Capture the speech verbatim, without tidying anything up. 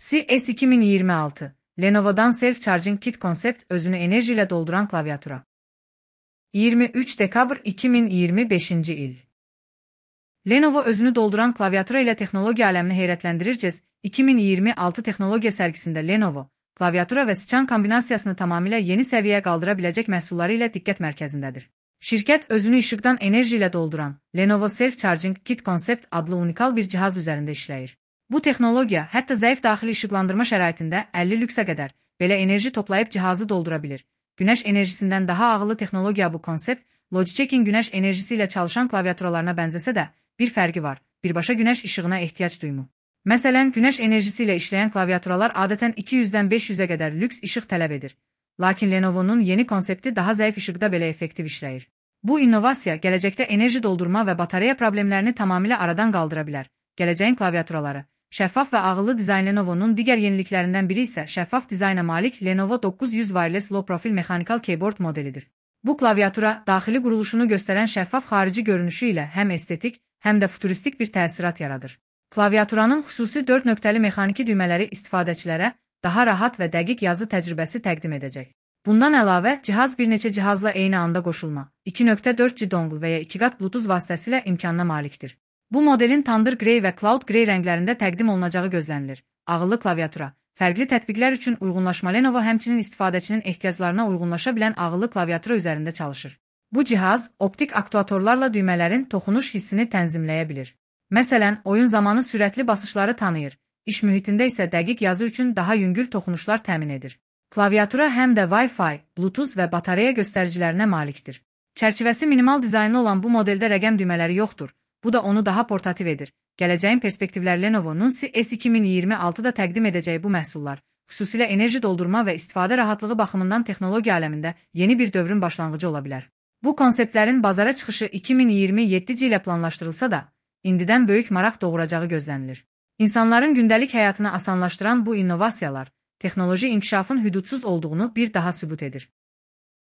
C S iki min iyirmi altı Lenovo'dan Self Charging Kit konsept özünü enerjiyle dolduran klaviatura. yirmi üç dekabr iki min iyirmi beşinci il. Lenovo özünü dolduran klaviatura ile teknoloji alemini heyrətləndirəcəz. iki min iyirmi altı teknoloji sergisinde Lenovo, klaviatura ve sıçan kombinasiyasını tamamıyla yeni seviyeye qaldıra biləcək məhsulları ilə diqqət mərkəzindədir. Şirkət özünü işıqdan enerji ilə dolduran Lenovo Self Charging Kit konsept adlı unikal bir cihaz üzərində işləyir. Bu texnologiya hətta zəif daxili işıqlandırma şəraitində əlli lüksə qədər belə enerji toplayıb cihazı doldura bilir. Güneş enerjisindən daha ağıllı texnologiya bu konsept, Logitech'in güneş enerjisi ilə çalışan klaviaturalarına bənzəsə də, bir fərqi var, birbaşa güneş işığına ehtiyac duymu. Məsələn, güneş enerjisi ilə işləyən klaviaturalar adətən iki yüzdən beş yüzə qədər lüks işıq tələb edir. Lakin Lenovo'nun yeni konsepti daha zəif işıqda belə effektiv işləyir. Bu innovasiya gələcəkdə enerji doldurma və batareya problemlərini tamamilə aradan qaldıra bilər. Gələcəyin klaviaturaları, şəffaf və ağıllı dizayn. Lenovo'nun digər yeniliklərindən biri isə şəffaf dizayna malik Lenovo dokuz yüz Wireless Low Profile Mechanical Keyboard modelidir. Bu klaviatura, daxili quruluşunu göstərən şəffaf xarici görünüşü ilə həm estetik, həm də futuristik bir təsirat yaradır. Klaviaturanın xüsusi dörd nöqtəli mexaniki düymələri istifadəçilərə daha rahat və dəqiq yazı təcrübəsi təqdim edəcək. Bundan əlavə, cihaz bir neçə cihazla eyni anda qoşulma, iki nöqtə dörd G dongle və ya iki qat Bluetooth vasitəsilə imkanına malikdir. Bu modelin Thunder Grey və Cloud Grey rənglərində təqdim olunacağı gözlənilir. Ağıllı klaviatura, fərqli tətbiqlər üçün uyğunlaşma. Lenovo həmçinin istifadəçinin ehtiyaclarına uyğunlaşa bilən ağıllı klaviatura üzərində çalışır. Bu cihaz, optik aktuatorlarla düymələrin toxunuş hissini tənzimləyə bilir. Məsələn, oyun zamanı sürətli basışları tanıyır, iş mühitində isə dəqiq yazı üçün daha yüngül toxunuşlar təmin edir. Klaviatura həm də Wi-Fi, Bluetooth və batareya göstəricilərinə malikdir. Çərçivəsi minimal dizaynlı olan bu modeldə rəqəm düymələri yoxdur, bu da onu daha portativ edir. Gələcəyin perspektivləri. Lenovo'nun C S iki min iyirmi altıda təqdim edəcəyi bu məhsullar, xüsusilə enerji doldurma və istifadə rahatlığı baxımından texnologiya aləmində yeni bir dövrün başlanğıcı ola bilər. Bu konseptlərin bazara çıxışı iki min iyirmi yeddinci ilə planlaşdırılsa da, indidən böyük maraq doğuracağı gözlənilir. İnsanların gündəlik həyatını asanlaşdıran bu innovasiyalar, texnoloji inkişafın hüdudsuz olduğunu bir daha sübut edir.